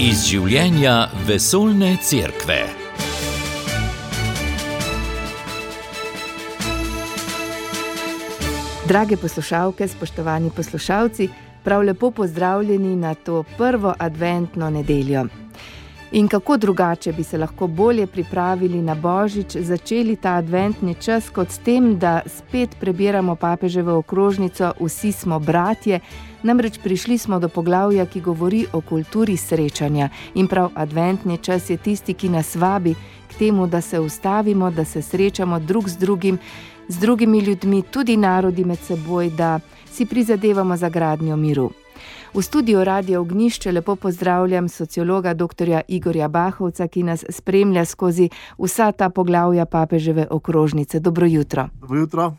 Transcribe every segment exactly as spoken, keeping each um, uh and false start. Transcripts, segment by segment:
Iz življenja vesoljne cerkve. Drage poslušalke, spoštovani poslušalci, prav lepo pozdravljeni na to prvo adventno nedeljo. In kako drugače bi se lahko bolje pripravili na Božič, začeli ta adventni čas kot s tem, da spet prebiramo papeževo okrožnico Vsi smo bratje, namreč prišli smo do poglavja, ki govori o kulturi srečanja. In prav adventni čas je tisti, ki nas vabi k temu, da se ustavimo, da se srečamo drug z drugim, z drugimi ljudmi, tudi narodi med seboj, da si prizadevamo za gradnjo miru. V studiu Radia Ognjišče lepo pozdravljam sociologa doktorja Igorja Bahovca, ki nas spremlja skozi vsa ta poglavja papeževe okrožnice. Dobro jutro. Dobro jutro.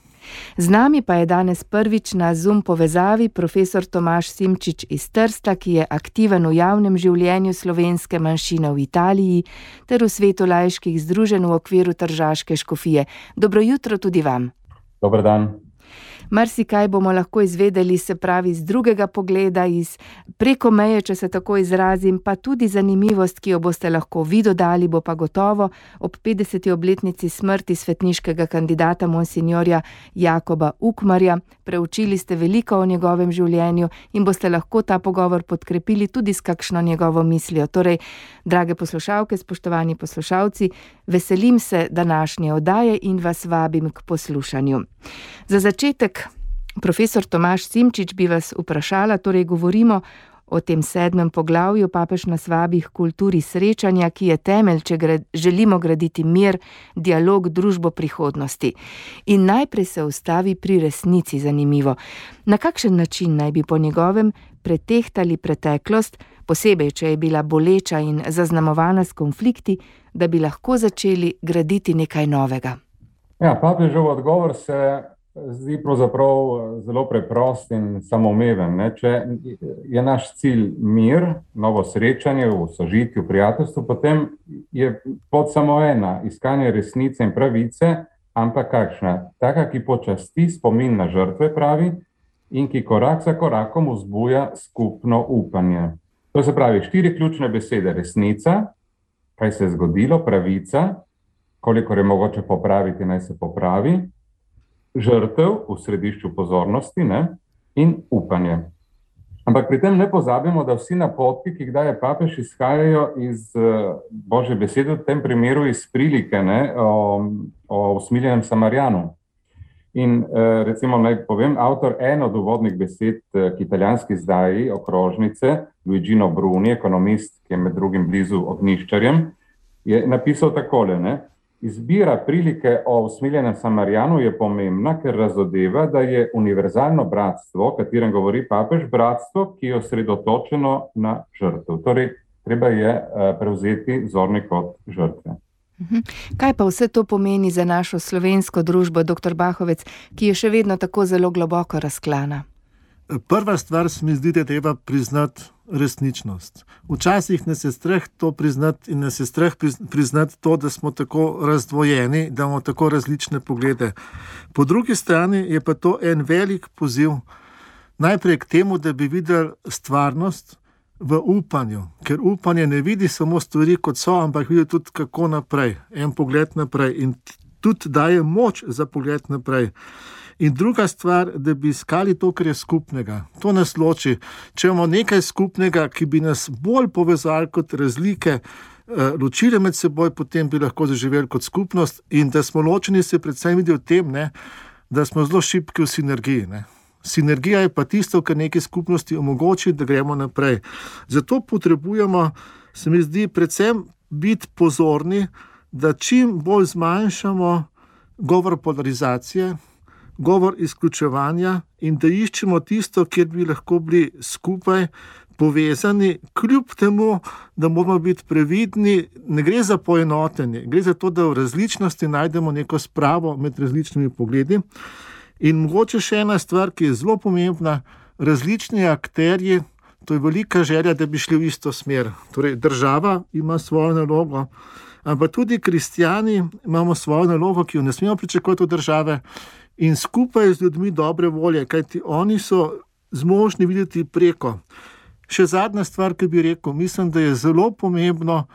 Z nami pa je danes prvič na Zoom povezavi profesor Tomaž Simčič iz Trsta, ki je aktiven v javnem življenju slovenske manjšine v Italiji ter v svetu laiških združenj v okviru tržaške škofije. Dobro jutro tudi vam. Dober dan. Marsikaj bomo lahko izvedeli, se pravi z drugega pogleda, iz preko meje, če se tako izrazim, pa tudi zanimivost, ki jo boste lahko vi dodali, bo pa gotovo ob petdeseti obletnici smrti svetniškega kandidata monsinjorja Jakoba Ukmarja. Preučili ste veliko o njegovem življenju in boste lahko ta pogovor podkrepili tudi s kakšno njegovo mislijo. Torej, drage poslušalke, spoštovani poslušalci, veselim se današnje oddaje in vas vabim k poslušanju. Za začetek, profesor Tomaž Simčič, bi vas vprašala, torej govorimo o tem sedmem poglavju, papež nas vabi k kulturi srečanja, ki je temelj, če gre, želimo graditi mir, dialog, družbo prihodnosti. In najprej se ustavi pri resnici, zanimivo. Na kakšen način naj bi po njegovem pretehtali preteklost, posebej, če je bila boleča in zaznamovana s konflikti, da bi lahko začeli graditi nekaj novega? Ja, papežev odgovor se zdi pravzaprav zelo preprost in samoumeven. Ne? Če je naš cilj mir, novo srečanje v sožitju, prijateljstvu, potem je pot samo ena, iskanje resnice in pravice, ampak kakšna? Taka, ki počasti spomin na žrtve, pravi, in ki korak za korakom vzbuja skupno upanje. To se pravi, štiri ključne besede: resnica, kaj se je zgodilo, pravica, kolikor je mogoče popraviti, naj se popravi, žrtev v središču pozornosti, ne? In upanje. Ampak pri tem ne pozabimo, da vsi napotki, ki jih daje papež, izhajajo iz uh, Božje besede, v tem primeru iz prilike, ne? o, o usmiljenem Samarijanu. In uh, recimo naj povem, avtor en od uvodnih besed uh, k italijanski izdaji okrožnice, Luigino Bruni, ekonomist, ki je med drugim blizu ognjiščarjem, je napisal takole, ne? Izbira prilike o usmiljenem Samarijanu je pomembna, ker razodeva, da je univerzalno bratstvo, o katerem govori papež, bratstvo, ki je osredotočeno na žrtev. Torej, treba je prevzeti zorni kot žrtve. Kaj pa vse to pomeni za našo slovensko družbo, doktor Bahovec, ki je še vedno tako zelo globoko razklana? Prva stvar se mi zdi, da je treba priznati resničnost. Včasih nas je strah to priznati in nas je strah priznati to, da smo tako razdvojeni, da imamo tako različne poglede. Po drugi strani je pa to en velik poziv najprej k temu, da bi videli stvarnost v upanju, ker upanje ne vidi samo stvari kot so, ampak vidi tudi kako naprej, en pogled naprej in tudi daje moč za pogled naprej. In druga stvar, da bi iskali to, kar je skupnega. To nas loči. Če imamo nekaj skupnega, ki bi nas bolj povezali kot razlike, ločili med seboj, potem bi lahko zaživeli kot skupnost, in da smo ločeni, se predvsem vidi v tem, ne, da smo zelo šibki v sinergiji. Ne. Sinergija je pa tisto, kar neki skupnosti omogoči, da gremo naprej. Zato potrebujemo, se mi zdi, predvsem biti pozorni, da čim bolj zmanjšamo govor polarizacije, govor izključevanja in da iščemo tisto, kjer bi lahko bili skupaj povezani, kljub temu, da moramo biti previdni. Ne gre za poenotenje, gre za to, da v različnosti najdemo neko spravo med različnimi pogledi. In mogoče še ena stvar, ki je zelo pomembna, različni akterji, to je velika želja, da bi šli v isto smer. Torej, država ima svojo nalogo, ampak tudi kristjani imamo svojo nalogo, ki jo ne smemo pričakovati od države, in skupaj z ljudmi dobre volje, kajti oni so zmožni videti preko. Še zadnja stvar, ki bi rekel, mislim, da je zelo pomembno,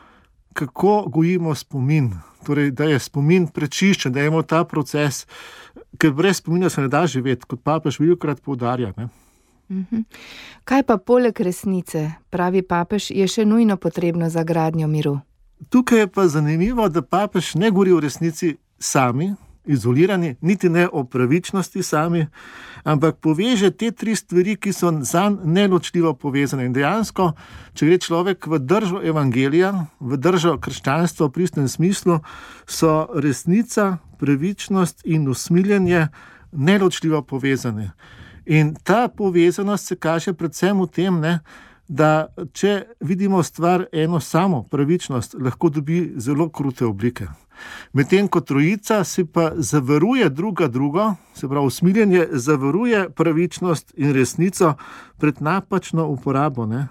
kako gojimo spomin. Torej, da je spomin prečiščen, da imamo ta proces, ker brez spomina se ne da živeti, kot papež velikokrat poudarja. Ne? Mhm. Kaj pa poleg resnice, pravi papež, je še nujno potrebno za gradnjo miru? Tukaj je pa zanimivo, da papež ne govori o resnici sami, izolirani, niti ne o pravičnosti sami, ampak poveže te tri stvari, ki so zanj neločljivo povezane. In dejansko, če gre človek v držo evangelija, v držo krščanstva v pristnem smislu, so resnica, pravičnost in usmiljenje neločljivo povezane. In ta povezanost se kaže predvsem v tem, ne, da če vidimo stvar eno samo, pravičnost, lahko dobi zelo krute oblike. Medtem ko trojica si pa zavaruje druga drugo, se pravi usmiljenje zavaruje pravičnost in resnico pred napačno uporabo, ne?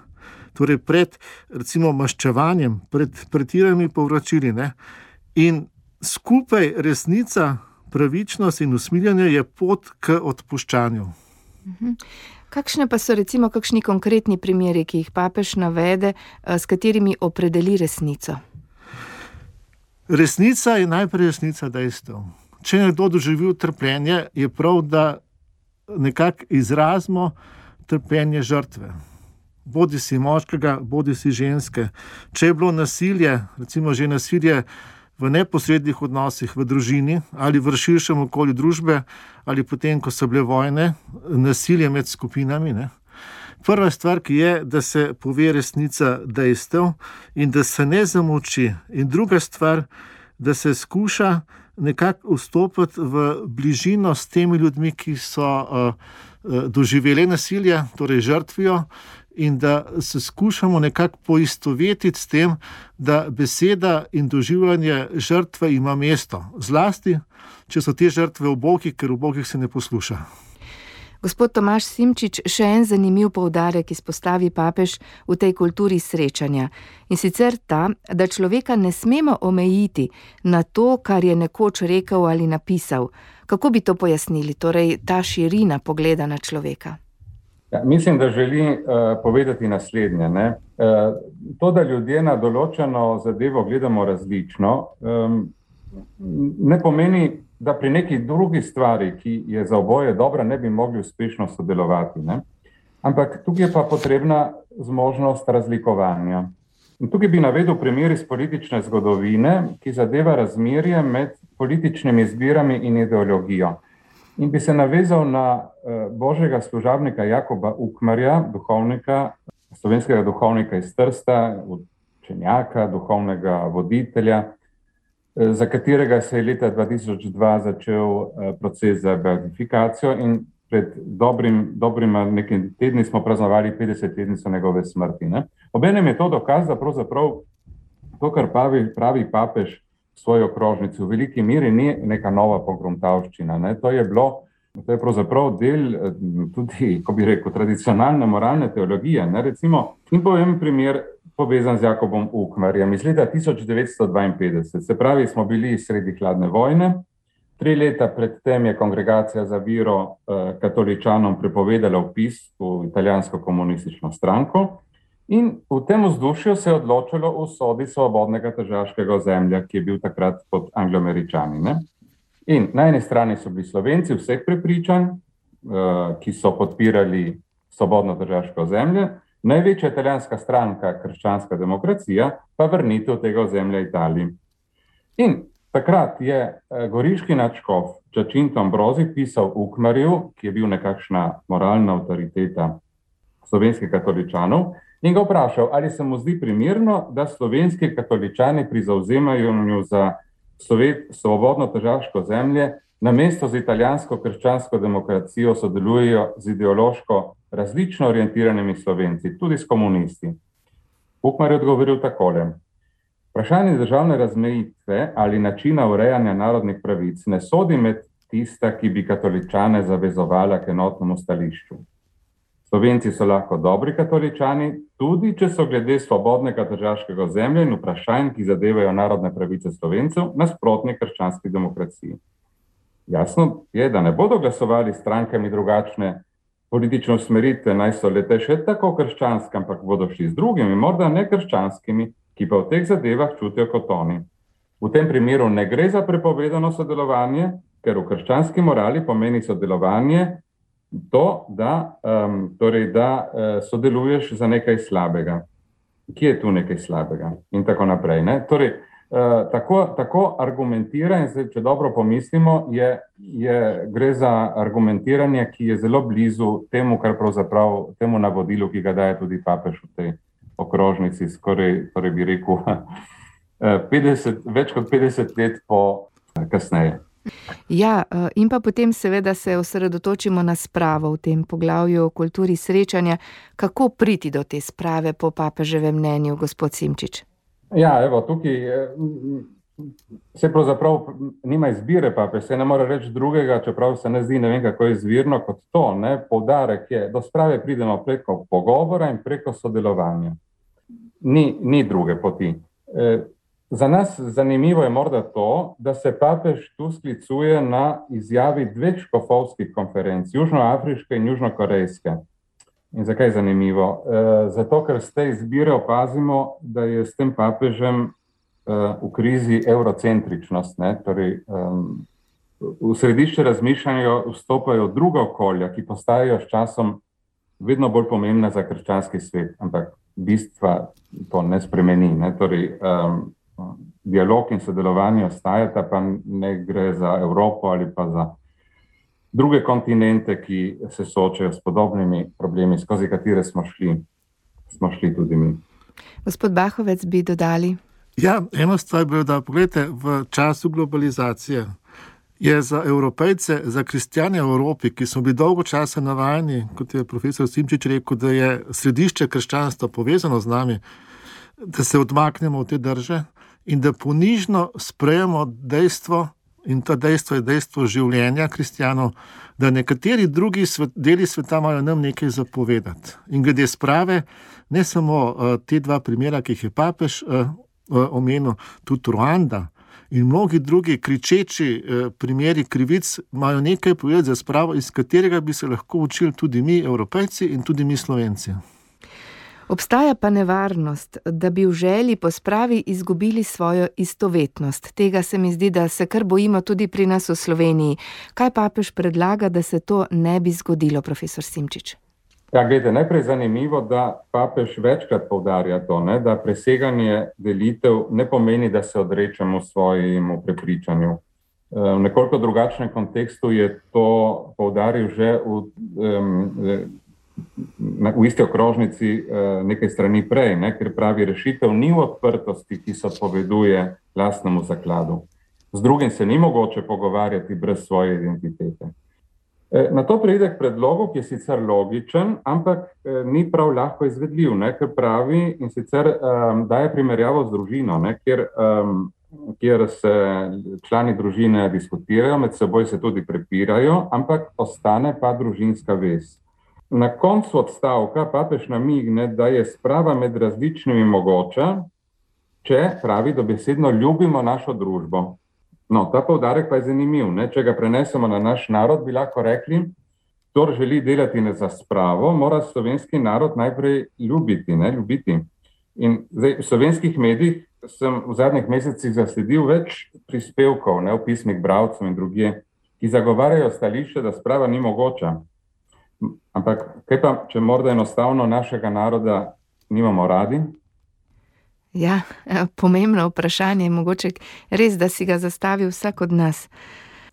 Torej pred recimo maščevanjem, pred pretiranimi povračili. Ne? In skupaj resnica, pravičnost in usmiljenje je pot k odpuščanju. Mhm. Kakšne pa so recimo kakšni konkretni primeri, ki jih papež navede, s katerimi opredeli resnico? Resnica je najprej resnica dejstev. Če nekdo doživi trpljenje, je prav, da nekako izrazimo trpljenje žrtve. Bodi si moškega, bodi si ženske. Če je bilo nasilje, recimo že nasilje v neposrednih odnosih v družini ali v širšem okolju družbe ali potem, ko so bile vojne, nasilje med skupinami, ne? Prva stvar, ki je, da se pove resnica dejstev in da se ne zamolči. In druga stvar, da se skuša nekako vstopiti v bližino s temi ljudmi, ki so uh, doživeli nasilje, torej žrtvijo, in da se skušamo nekako poistovetiti s tem, da beseda in doživljanje žrtve ima mesto. Zlasti, če so te žrtve ubogi, ker ubogih se ne posluša. Gospod Tomaž Simčič, še en zanimiv poudarek izpostavi papež v tej kulturi srečanja. In sicer ta, da človeka ne smemo omejiti na to, kar je nekoč rekel ali napisal. Kako bi to pojasnili, torej ta širina pogleda na človeka? Ja, mislim, da želi uh, povedati naslednje. Ne? Uh, to, da ljudje na določeno zadevo gledamo različno, um, ne pomeni, da pri neki drugi stvari, ki je za oboje dobra, ne bi mogli uspešno sodelovati. Ne? Ampak tukaj je pa potrebna zmožnost razlikovanja. In tukaj bi navedel primer iz politične zgodovine, ki zadeva razmerje med političnimi izbirami in ideologijo. In bi se navezal na uh, božjega služabnika Jakoba Ukmarja, duhovnika, slovenskega duhovnika iz Trsta, učenjaka, duhovnega voditelja, uh, za katerega se je leta dva tisoč dva začel uh, proces za beatifikacijo in pred dobrim, dobrim nekim tedni smo praznovali petdesetletnico njegove smrti. Ne? Obenem je to dokaz, da pravzaprav to, kar pravi, pravi papež svojo okrožnici v veliki miri, ni neka nova pogruntavščina. Ne? To je bilo, to je pravzaprav del tudi, ko bi rekel, tradicionalne moralne teologije. Ne? Recimo, in povem primer povezan z Jakobom Ukmarjem iz leta tisoč devetsto dvainpetdeset. Se pravi, smo bili sredi hladne vojne. Tri leta predtem je Kongregacija za vero eh, katoličanom prepovedala vpis v italijansko komunistično stranko. In v tem vzdušju se je odločilo o usodi svobodnega tržaškega ozemlja, ki je bil takrat pod Angloameričani. Ne? In na eni strani so bili Slovenci vseh prepričanj, ki so podpirali svobodno tržaško ozemlje, največja italijanska stranka, Krščanska demokracija, pa vrnitev tega ozemlja Italiji. In takrat je goriški nadškof Giacinto Ambrosi pisal Ukmarju, ki je bil nekakšna moralna avtoriteta slovenskih katoličanov, in ga vprašal, ali se mu zdi primerno, da slovenski katoličani pri zavzemanju za svobodno tržaško zemlje namesto z italijansko krščansko demokracijo sodelujejo z ideološko različno orientiranimi Slovenci, tudi s komunisti. Ukmar je odgovoril takole. Vprašanje državne razmejitve ali načina urejanja narodnih pravic ne sodi med tista, ki bi katoličane zavezovala k enotnemu stališču. Slovenci so lahko dobri katoličani, tudi če so glede svobodnega tržaškega ozemlja in vprašanj, ki zadevajo narodne pravice Slovencev, nasprotni krščanski demokraciji. Jasno je, da ne bodo glasovali strankami drugačne politične usmeritve naj so lete še tako krščanske, ampak bodo šli z drugimi, morda nekrščanskimi, ki pa v teh zadevah čutijo kot oni. V tem primeru ne gre za prepovedano sodelovanje, ker v krščanski morali pomeni sodelovanje to, da, um, torej, da uh, sodeluješ za nekaj slabega. Kje je tu nekaj slabega? In tako naprej. Ne? Torej, uh, tako, tako argumentira, in zdaj, če dobro pomislimo, je, je, gre za argumentiranje, ki je zelo blizu temu, kar pravzaprav temu navodilu, ki ga daje tudi papež v tej okrožnici, skoraj, torej bi rekel, petdeset, več kot petdeset let po kasneje. Ja, in pa potem seveda se osredotočimo na spravo v tem poglavju o kulturi srečanja. Kako priti do te sprave po papeževem mnenju, gospod Simčič? Ja, evo, tukaj se pravzaprav nima izbire papež, se ne more reči drugega, čeprav se ne zdi, ne vem kako izvirno kot to, ne, poudarek je, do sprave pridemo preko pogovora in preko sodelovanja. Ni, ni druge poti. E, Za nas zanimivo je morda to, da se papež tu sklicuje na izjavi dveh škofovskih konferenc, južnoafriške in južnokorejske. In zakaj je zanimivo? E, zato, ker z te izbire opazimo, da je s tem papežem e, v krizi eurocentričnost. Ne? Torej, um, v središče razmišljanja vstopajo druga okolja, ki postajajo s časom vedno bolj pomembna za krščanski svet, ampak bistva to ne spremeni. Ne? Torej, um, dialog in sodelovanje ostajata, pa ne gre za Evropo ali pa za druge kontinente, ki se soočajo s podobnimi problemi, skozi katere smo šli, smo šli tudi mi. Gospod Bahovec, bi dodali? Ja, eno stvar bi da, pogledajte, v času globalizacije je za Evropejce, za kristjane v Evropi, ki smo bili dolgo časa navajeni, kot je profesor Simčič rekel, da je središče krščanstva povezano z nami, da se odmaknemo v te drže, in da ponižno sprejemo dejstvo, in to dejstvo je dejstvo življenja kristjanov, da nekateri drugi svet, deli sveta imajo nam nekaj zapovedati. In glede sprave, ne samo uh, te dva primera, ki jih je papež uh, uh, omenil, tudi Ruanda in mnogi drugi kričeči uh, primeri krivic imajo nekaj povedati za spravo, iz katerega bi se lahko učili tudi mi, Evropejci in tudi mi, Slovenci. Obstaja pa nevarnost, da bi v želji po spravi izgubili svojo istovetnost. Tega se mi zdi, da se kar bojimo tudi pri nas v Sloveniji. Kaj papež predlaga, da se to ne bi zgodilo, profesor Simčič? Ja, gledajte, najprej zanimivo, da papež večkrat poudarja to, ne, da preseganje delitev ne pomeni, da se odrečemo svojemu prepričanju. V nekoliko drugačnem kontekstu je to poudaril že v um, v isti okrožnici nekaj strani prej, ne, ker pravi, rešitev ni v odprtosti, ki se odpoveduje lastnemu zakladu. Z drugim se ni mogoče pogovarjati brez svoje identitete. Na to pride k predlogu, ki je sicer logičen, ampak ni prav lahko izvedljiv, ne, ker pravi in sicer um, daje primerjavo z družino, ne, kjer, um, kjer se člani družine diskutirajo, med seboj se tudi prepirajo, ampak ostane pa družinska vez. Na koncu odstavka papež namigne, da je sprava med različnimi mogoča, če, pravi, dobesedno ljubimo našo družbo. No, ta poudarek pa je zanimiv. Ne? Če ga prenesemo na naš narod, bi lahko rekli, kdor želi delati za spravo, mora slovenski narod najprej ljubiti. Ne? ljubiti. In zdaj, v slovenskih medijih sem v zadnjih mesecih zasledil več prispevkov, ne, v pismih bralcev in drugje, ki zagovarjajo stališče, da sprava ni mogoča. Ampak kaj pa, če morda enostavno našega naroda nimamo radi? Ja, pomembno vprašanje, mogoče res, da si ga zastavi vsak od nas.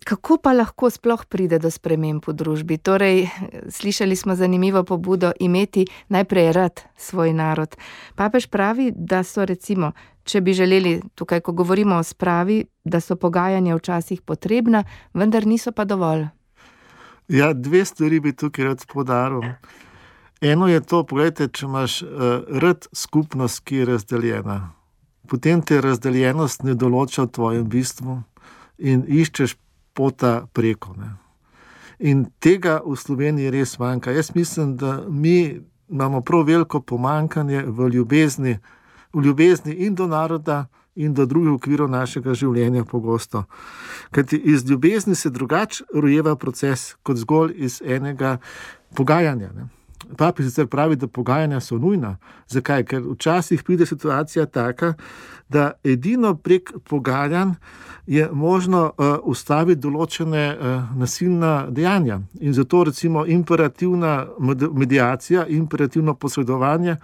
Kako pa lahko sploh pride do sprememb v družbi? Torej, slišali smo zanimivo pobudo imeti najprej rad svoj narod. Papež pravi, da so recimo, če bi želeli, tukaj ko govorimo o spravi, da so pogajanja včasih potrebna, vendar niso pa dovolj. Ja, dve stvari bi tukaj rad poudaril. Eno je to, pogledajte, če imaš uh, rad skupnost, ki je razdeljena, potem te razdeljenost ne določa v tvojem bistvu in iščeš pota preko. Ne. In tega v Sloveniji res manjka. Jaz mislim, da mi imamo prav veliko pomanjkanje v ljubezni, v ljubezni in do naroda, in do drugih okvirov našega življenja pogosto. Kajti iz ljubezni se drugače rojeva proces, kot zgolj iz enega pogajanja. Ne. Papež sicer pravi, da pogajanja so nujna. Zakaj? Ker včasih pride situacija taka, da edino prek pogajanj je možno uh, ustaviti določene uh, nasilna dejanja. In zato recimo imperativna mediacija, imperativno posredovanje,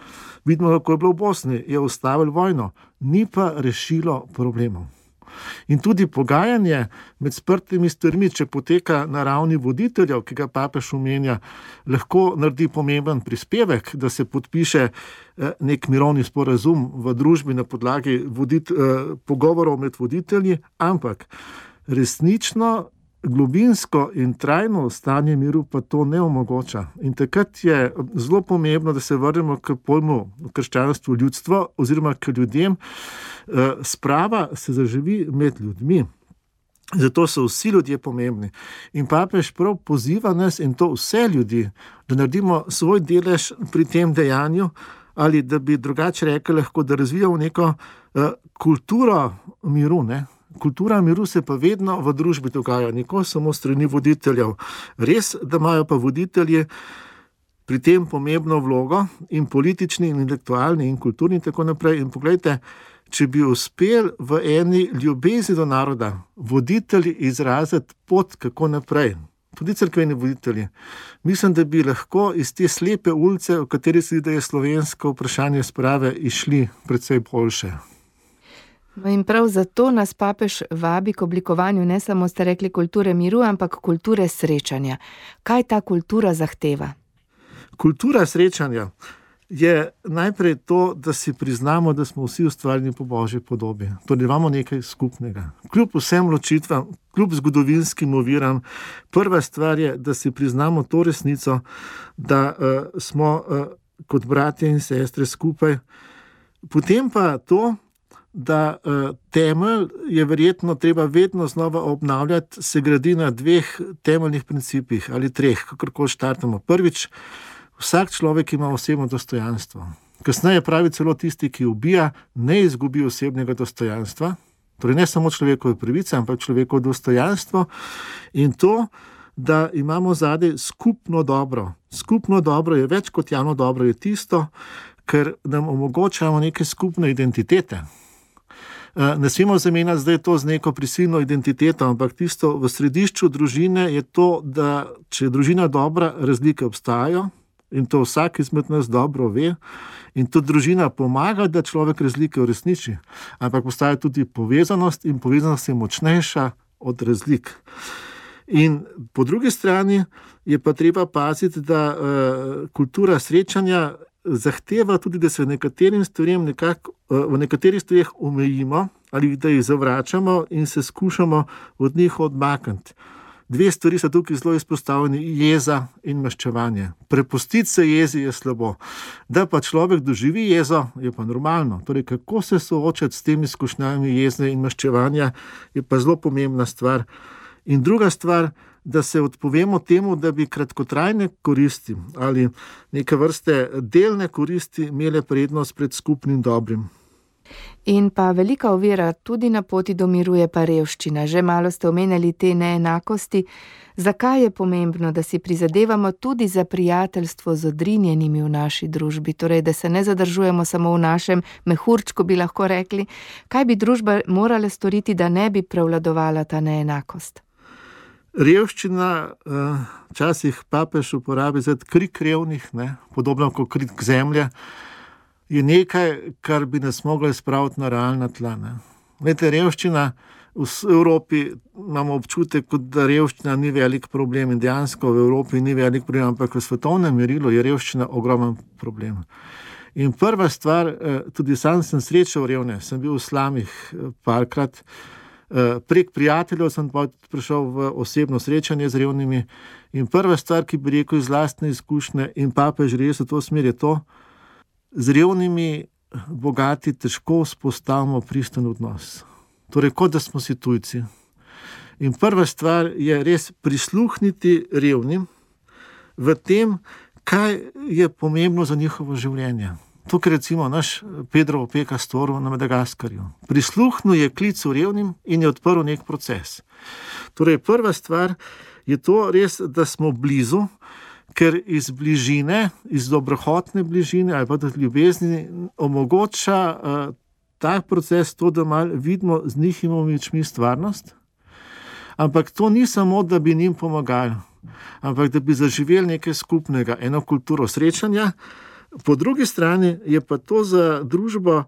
vidimo, kako je bilo v Bosni, je ustavilo vojno, ni pa rešilo problemov. In tudi pogajanje med sprtimi stvarmi, če poteka na ravni voditeljev, ki ga papež omenja, lahko naredi pomemben prispevek, da se podpiše nek mirovni sporazum v družbi na podlagi vodit, pogovorov med voditelji, ampak resnično globinsko in trajno stanje miru pa to ne omogoča. In takrat je zelo pomembno, da se vrnemo k pojmu krščanstvo ljudstvo oziroma k ljudem. Sprava se zaživi med ljudmi. Zato so vsi ljudje pomembni. In papež prav poziva nas, in to vse ljudi, da naredimo svoj delež pri tem dejanju, ali da bi drugače rekli lahko, da razvijamo neko uh, kulturo miru, ne? Kultura miru se pa vedno v družbi dogaja, nikoli samo strani voditeljev. Res, da imajo pa voditelji pri tem pomembno vlogo, in politični, in intelektualni, in kulturni, in tako naprej. In poglejte, če bi uspel v eni ljubezni do naroda voditelji izraziti pot, kako naprej, tudi cerkveni voditelji, mislim, da bi lahko iz te slepe ulice, v kateri se da je slovensko vprašanje sprave, išli precej boljše. No in prav zato nas papež vabi k oblikovanju ne samo, ste rekli, kulture miru, ampak kulture srečanja. Kaj ta kultura zahteva? Kultura srečanja je najprej to, da si priznamo, da smo vsi ustvarjeni po Božji podobi. Torej imamo nekaj skupnega. Kljub vsem ločitvam, kljub zgodovinskim oviram, prva stvar je, da si priznamo to resnico, da uh, smo uh, kot bratje in sestre skupaj. Potem pa to, da uh, temelj je verjetno treba vedno znova obnavljati, se gradi na dveh temeljnih principih ali treh, kakorkoli štartamo. Prvič, vsak človek ima osebno dostojanstvo. Kasneje pravi celo tisti, ki ubija, ne izgubi osebnega dostojanstva, torej ne samo človekove pravice, ampak človekovo dostojanstvo, in to, da imamo zadaj skupno dobro. Skupno dobro je več kot javno dobro, je tisto, ker nam omogočamo neke skupne identitete. Ne smemo zamenjati zdaj to z neko prisilno identiteto, ampak tisto v središču družine je to, da če je družina dobra, razlike obstajajo, in to vsak izmed nas dobro ve, in to družina pomaga, da človek razlike uresniči, ampak obstaja tudi povezanost, in povezanost je močnejša od razlik. In po drugi strani je pa treba paziti, da uh, kultura srečanja zahteva tudi, da se nekaterim stvarem nekako, v nekaterih stvareh omejimo ali da jih zavračamo in se skušamo od njih odmakniti. Dve stvari so tukaj zelo izpostavljeni, jeza in maščevanje. Prepustiti se jezi je slabo. Da pa človek doživi jezo, je pa normalno. Torej, kako se soočati s temi izkušnjami jezne in maščevanja, je pa zelo pomembna stvar. In druga stvar, da se odpovemo temu, da bi kratkotrajne koristi ali neke vrste delne koristi imele prednost pred skupnim dobrim. In pa velika ovira tudi na poti do miru je pa revščina. Že malo ste omenjali te neenakosti. Zakaj je pomembno, da si prizadevamo tudi za prijateljstvo z odrinjenimi v naši družbi? Torej, da se ne zadržujemo samo v našem mehurčku, bi lahko rekli. Kaj bi družba morala storiti, da ne bi prevladovala ta neenakost? Revščina, včasih papež uporabi za krik revnih, ne, podobno kot krik zemlje, je nekaj, kar bi nas moglo spraviti na realna tla. Ne. Vete, revščina v Evropi, imamo občutek, kot da revščina ni velik problem, in dejansko v Evropi ni velik problem, ampak v svetovnem merilu je revščina ogromen problem. In prva stvar, tudi sam sem srečal revne, sem bil v slamih parkrat, prek prijateljev sem prišel v osebno srečanje z revnimi, in prva stvar, ki bi rekel iz lastne izkušnje, in papež res v to smer, je to, z revnimi bogati težko vzpostavimo pristen odnos. Torej, kot da smo si tujci. In prva stvar je res prisluhniti revnim v tem, kaj je pomembno za njihovo življenje. Tukaj recimo naš Pedro Opeka storil na Madagaskarju. Prisluhnil je klicu revnim in je odprl nek proces. Torej, prva stvar je to res, da smo blizu, ker iz bližine, iz dobrohotne bližine ali pa tudi ljubezni omogoča uh, tak proces, to, da malo vidimo z njihovimi očmi stvarnost. Ampak to ni samo, da bi njim pomagali, ampak da bi zaživeli nekaj skupnega, eno kulturo srečanja. Po drugi strani je pa to za družbo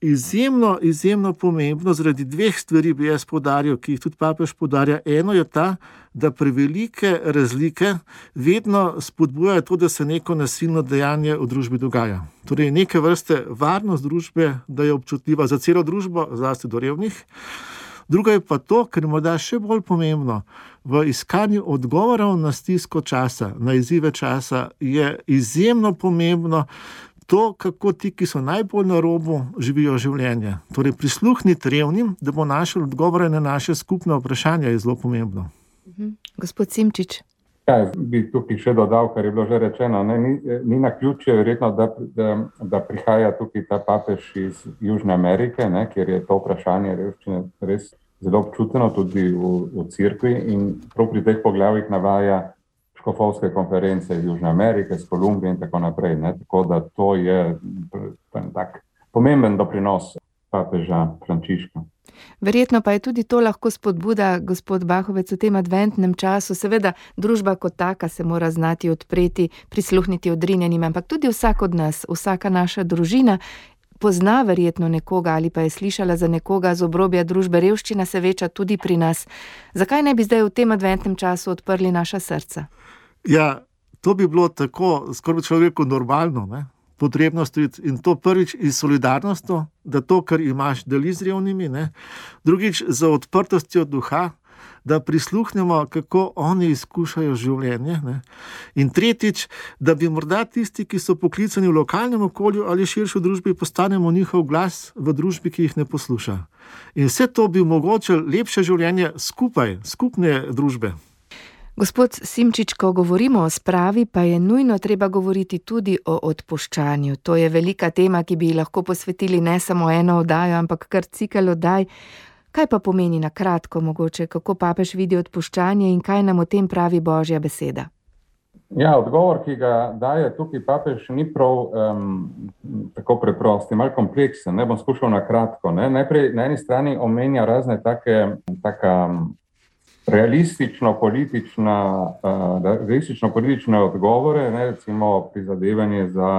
izjemno, izjemno pomembno, zaradi dveh stvari bi jaz poudaril, ki jih tudi papež poudarja. Eno je ta, da prevelike razlike vedno spodbujajo to, da se neko nasilno dejanje v družbi dogaja. Torej neke vrste varnost družbe, da je občutljiva za celo družbo, zlasti do revnih. Druga je pa to, kar je morda še bolj pomembno, v iskanju odgovorov na stisko časa, na izzive časa, je izjemno pomembno to, kako ti, ki so najbolj na robu, živijo življenje. Torej prisluhniti revnim, da bo našel odgovore na naše skupne vprašanja, je zelo pomembno. Mhm. Gospod Simčič. Ja, bi tukaj še dodal, kar je bilo že rečeno. Ne, ni, ni naključje, verjetno, da, da, da prihaja tukaj ta papež iz Južne Amerike, ne, kjer je to vprašanje revščine res zelo občuteno tudi v, v cerkvi in prav pri teh poglavjih navaja škofovske konference iz Južne Amerike, iz Kolumbije in tako naprej. Ne, tako da to je tak pomemben doprinos papeža Frančiška. Verjetno pa je tudi to lahko spodbuda, gospod Bahovec, v tem adventnem času. Seveda, družba kot taka se mora znati odpreti, prisluhniti odrinjenim, ampak tudi vsak od nas, vsaka naša družina pozna verjetno nekoga ali pa je slišala za nekoga z obrobja družbe. Revščina se veča tudi pri nas. Zakaj ne bi zdaj v tem adventnem času odprli naša srca? Ja, to bi bilo tako, skoraj človeku normalno, ne? Potrebno storiti in to prvič iz solidarnosti, da to, kar imaš, deli z revnimi, ne? Drugič za odprtostjo duha, da prisluhnemo, kako oni izkušajo življenje, ne? In tretjič, da bi morda tisti, ki so poklicani v lokalnem okolju ali širši v družbi, postanemo njihov glas v družbi, ki jih ne posluša. In vse to bi omogočilo lepše življenje skupaj, skupne družbe. Gospod Simčič, ko govorimo o spravi, pa je nujno treba govoriti tudi o odpuščanju. To je velika tema, ki bi ji lahko posvetili ne samo eno oddajo, ampak kar cikel oddaj. Kaj pa pomeni na kratko mogoče, kako papež vidi odpuščanje in kaj nam o tem pravi Božja beseda? Ja, odgovor, ki ga daje tukaj papež, ni prav um, tako preprost, je malo kompleksen. Ne bom skušal na kratko. Ne. Najprej na eni strani omenja razne take, taka realistično politična, uh, realistično politične odgovore, ne, recimo prizadevanje za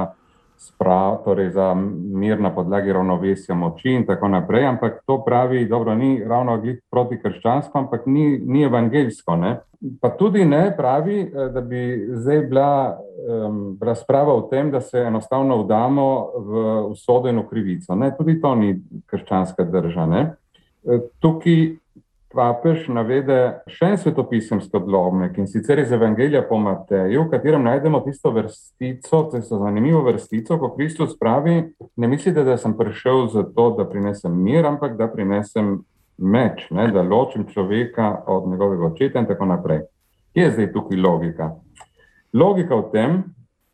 sprav, torej za mir na podlagi ravnovesja moči in tako naprej, ampak to pravi, dobro, ni ravno glih protikrščansko, ampak ni, ni evangeljsko, ne. Pa tudi ne pravi, da bi zdaj bila um, razprava o tem, da se enostavno vdamo v usodo in v krivico, ne. Tudi to ni krščanska drža, ne. Tukaj papež navede še en svetopisemski odlomek, in sicer iz Evangelija po Mateju, v katerem najdemo tisto vrstico, tisto zanimivo vrstico, ko Kristus pravi, ne mislite, da sem prišel zato, da prinesem mir, ampak da prinesem meč, ne, da ločim človeka od njegovega očeta in tako naprej. Kje je zdaj tukaj logika? Logika v tem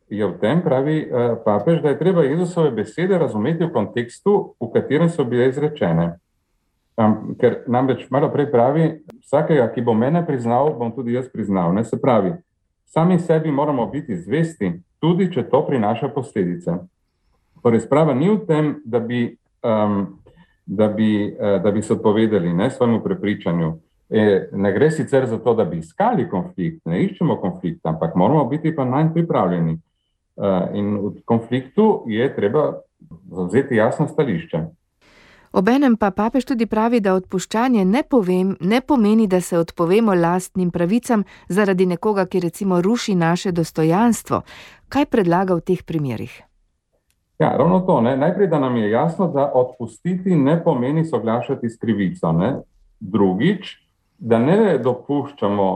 je v tem, pravi uh, papež, da je treba Jezusove besede razumeti v kontekstu, v katerem so bile izrečene. Um, ker namreč malo prej pravi, vsakega, ki bo mene priznal, bom tudi jaz priznal. Ne, se pravi, sami sebi moramo biti zvesti, tudi če to prinaša posledice. Torej, sprava ni v tem, da bi, um, da bi, uh, da bi se odpovedali, ne, svojemu prepričanju. E, ne gre sicer za to, da bi iskali konflikt, ne iščemo konflikt, ampak moramo biti pa nanj pripravljeni. Uh, in v konfliktu je treba zavzeti jasno stališče. Obenem pa papež tudi pravi, da odpuščanje ne, povem, ne pomeni, da se odpovemo lastnim pravicam zaradi nekoga, ki recimo ruši naše dostojanstvo. Kaj predlaga v teh primerih? Ja, ravno to. Ne? Najprej, da nam je jasno, da odpustiti ne pomeni soglašati s krivico. Ne? Drugič, da ne dopuščamo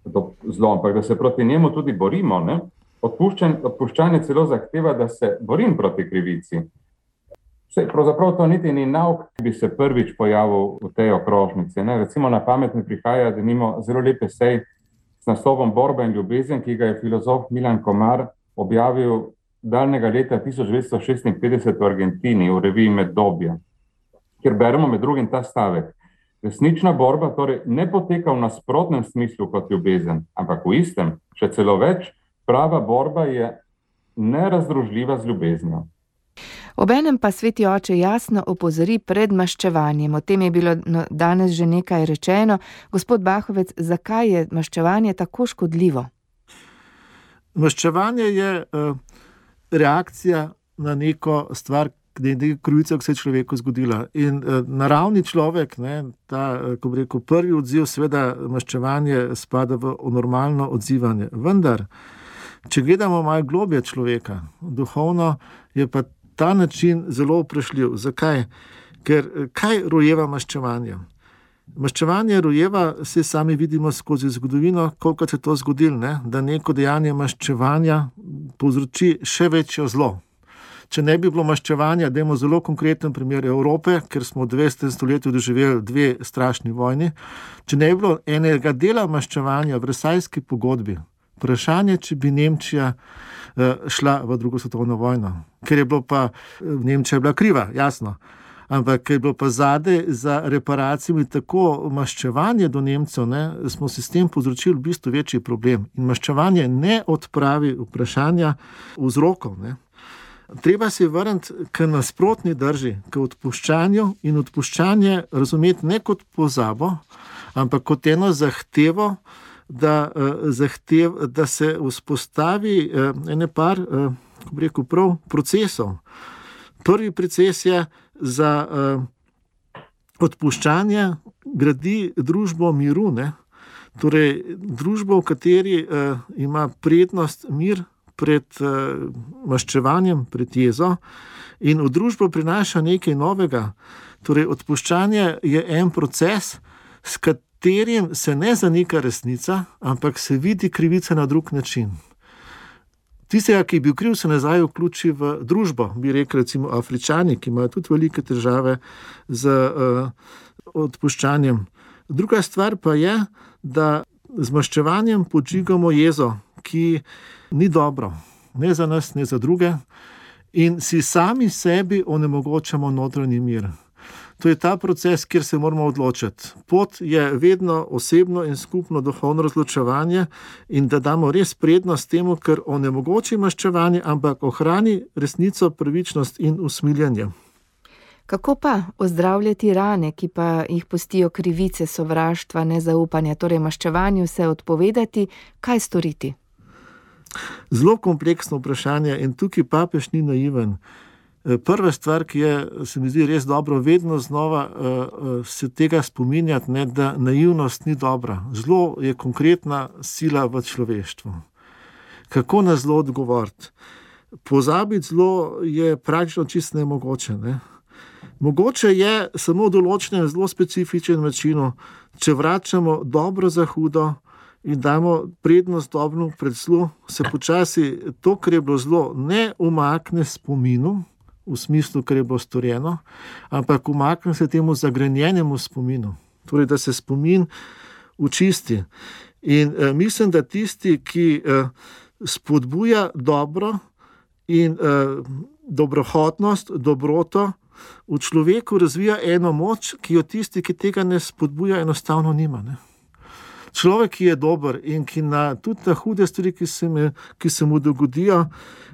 do zlo, ampak da se proti njemu tudi borimo. Ne? Odpuščanje, odpuščanje celo zahteva, da se borim proti krivici. Vse, pravzaprav to niti ni nauk, ki bi se prvič pojavil v tej okrožnici. Ne? Recimo na pamet mi prihaja, da nimo zelo lep esej s naslovom Borba in ljubezen, ki ga je filozof Milan Komar objavil daljnega leta tisoč devetsto šestinpetdeset v Argentini, v reviji Meddobje, kjer beremo med drugim ta stavek. Resnična borba torej ne poteka v nasprotnem smislu kot ljubezen, ampak v istem, še celo več, Prava borba je nerazdružljiva z ljubeznijo. Obenem pa sveti oče jasno opozori pred maščevanjem. O tem je bilo danes že nekaj rečeno. Gospod Bahovec, zakaj je maščevanje tako škodljivo? Maščevanje je uh, reakcija na neko stvar, nekaj krivica, ki se je človeku zgodila. In uh, naravni človek, ne, ta, ko bi rekel, prvi odziv, seveda maščevanje spada v normalno odzivanje. Vendar, če gledamo malo globje človeka, duhovno, je pa ta način zelo vprašljiv. Zakaj? Ker kaj rojeva maščevanje? Maščevanje rojeva, vsi sami vidimo skozi zgodovino, koliko se je to zgodilo, ne? Da neko dejanje maščevanja povzroči še večjo zlo. Če ne bi bilo maščevanja, dajmo zelo konkreten primer Evrope, ker smo v dvajsetem stoletju doživeli dve strašni vojni, če ne bi bilo enega dela maščevanja v Versajski pogodbi, vprašanje, če bi Nemčija šla v drugo svetovno vojno. Ker je bilo pa, Nemčija je bila kriva, jasno, ampak ker je bilo pa zadaj za reparacijami tako maščevanje do Nemcev, ne, smo si s tem povzročili v bistvu večji problem. In maščevanje ne odpravi vprašanja vzrokov, ne. Treba se vrniti k nasprotni drži, k odpuščanju in odpuščanje razumeti ne kot pozabo, ampak kot eno zahtevo, da, zahtev, da se vzpostavi ene par, kako bi rekel, prav procesov. Prvi proces je za odpuščanje gradi družbo miru, ne? Torej družbo, v kateri ima prednost mir pred uh, maščevanjem, pred jezo, in v družbo prinaša nekaj novega. Torej, odpuščanje je en proces, s katerim se ne zanika resnica, ampak se vidi krivica na drug način. Tistega, ki je bil kriv, se nazaj vključi v družbo, bi rekli recimo Afričani, ki imajo tudi velike težave z uh, odpuščanjem. Druga stvar pa je, da z maščevanjem podžigamo jezo, ki ni dobro, ne za nas, ne za druge, in si sami sebi onemogočamo notranji mir. To je ta proces, kjer se moramo odločiti. Pot je vedno osebno in skupno duhovno razločevanje in da damo res prednost temu, ker onemogoči maščevanje, ampak ohrani resnico, pravičnost in usmiljenje. Kako pa ozdravljati rane, ki pa jih pustijo krivice, sovraštva, nezaupanja, torej maščevanju se odpovedati, kaj storiti? Zelo kompleksno vprašanje in tukaj papež ni naiven. Prva stvar, ki je, se mi zdi res dobro, vedno znova uh, se tega spominjati, ne, da naivnost ni dobra. Zlo je konkretna sila v človeštvu. Kako na zlo odgovoriti? Pozabiti zlo je praktično čisto nemogoče. Ne? Mogoče je samo v določenem zelo specifičnem načinu, če vračamo dobro za hudo in damo prednost dobremu pred zlu, se počasi to, kar je bilo zlo, ne umakne spominu, v smislu, kar je bilo storjeno, ampak umakne se temu zagrenjenemu spominu. Torej, da se spomin očisti. In eh, mislim, da tisti, ki eh, spodbuja dobro in eh, dobrohotnost, dobroto, v človeku razvija eno moč, ki jo tisti, ki tega ne spodbuja, enostavno nima, ne. Človek, ki je dober in ki na tudi na hude stvari, ki se, me, ki se mu dogodijo,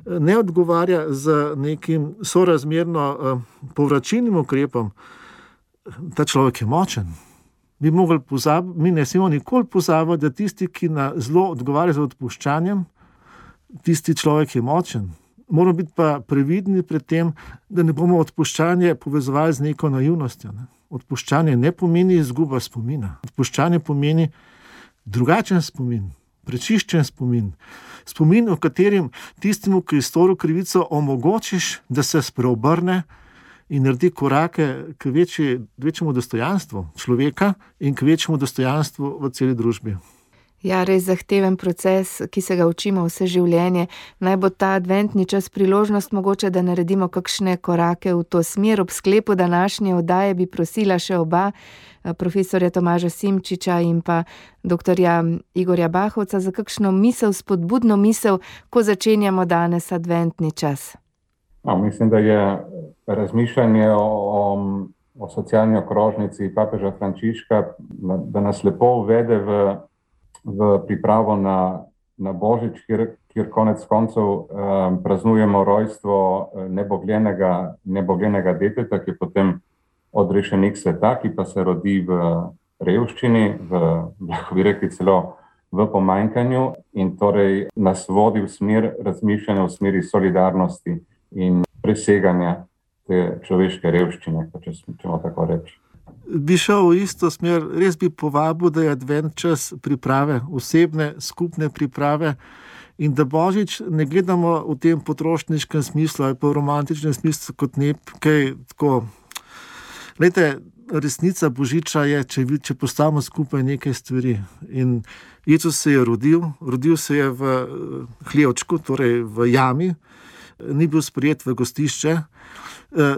ne odgovarja z nekim sorazmerno uh, povračilnim ukrepom, ta človek je močen. Mi, pozab, mi ne smemo nikoli pozabiti, da tisti, ki na zlo odgovarja z odpuščanjem, tisti človek je močen. Moramo biti pa previdni pred tem, da ne bomo odpuščanje povezovali z neko naivnostjo. Ne? Odpuščanje ne pomeni izguba spomina. Odpuščanje pomeni drugačen spomin, prečiščen spomin. Spomin, v katerem tistemu, ki je storil krivico, omogočiš, da se spreobrne in naredi korake k večji, večjemu dostojanstvu človeka in k večjemu dostojanstvu v celi družbi. Ja, res zahteven proces, ki se ga učimo vse življenje. Naj bo ta adventni čas priložnost mogoče, da naredimo kakšne korake v to smer. Ob sklepu današnje oddaje bi prosila še oba, profesorja Tomaža Simčiča in pa doktorja Igorja Bahovca, za kakšno misel, spodbudno misel, ko začenjamo danes adventni čas. No, mislim, da je razmišljanje o, o, o socialni okrožnici papeža Frančiška, da nas lepo uvede v v pripravo na, na Božič, kjer, kjer konec koncev um, praznujemo rojstvo nebogljenega, nebogljenega deteta, ki je potem odrešenik sveta, ki pa se rodi v revščini, v, lahko bi rekli celo v pomanjkanju in torej nas vodi v smer razmišljanja, v smeri solidarnosti in preseganja te človeške revščine, če smo tako reči. Bi šel v isto smer, res bi povabil, da je advent čas priprave, osebne, skupne priprave in da Božič ne gledamo v tem potrošniškem smislu ali pa v romantičnem smislu kot nekaj tako. Glejte, resnica Božiča je, če, če postavimo skupaj nekaj stvari. In Jezus se je rodil, rodil se je v hlevčku, torej v jami, ni bil sprejet v gostišče,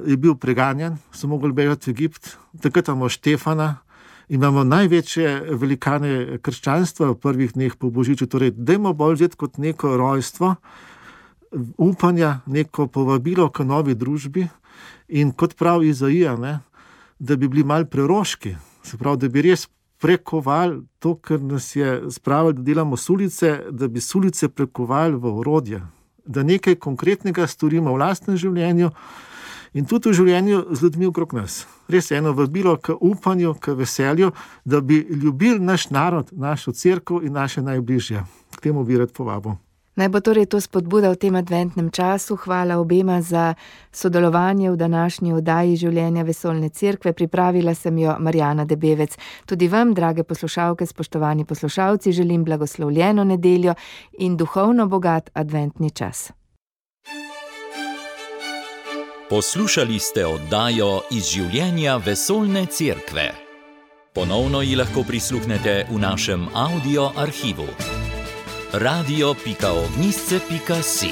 je bil preganjan, so mogli bežati v Egipt, takrat imamo Štefana, imamo največje velikane krščanstva v prvih dneh po Božiču, torej dajmo bolj vzeti kot neko rojstvo, upanja, neko povabilo k novi družbi in kot pravi Izaija, ne, da bi bili malo preroški, se pravi, da bi res prekovali to, kar nas je spravili, da delamo sulice, da bi sulice prekovali v orodje, da nekaj konkretnega storimo v lastnem življenju in tudi v življenju z ljudmi okrog nas. Res eno vabilo k upanju, k veselju, da bi ljubili naš narod, našo cerkev in naše najbližje. K temu bi rad povabil. Naj bo torej to spodbuda v tem adventnem času. Hvala obema za sodelovanje v današnji oddaji Življenja vesoljne cerkve. Pripravila sem jo Marjana Debevec. Tudi vam, drage poslušalke, spoštovani poslušalci, želim blagoslovljeno nedeljo in duhovno bogat adventni čas. Poslušali ste oddajo Iz življenja vesoljne cerkve. Ponovno ji lahko prisluhnete v našem audio arhivu. radio pika ognjisce pika si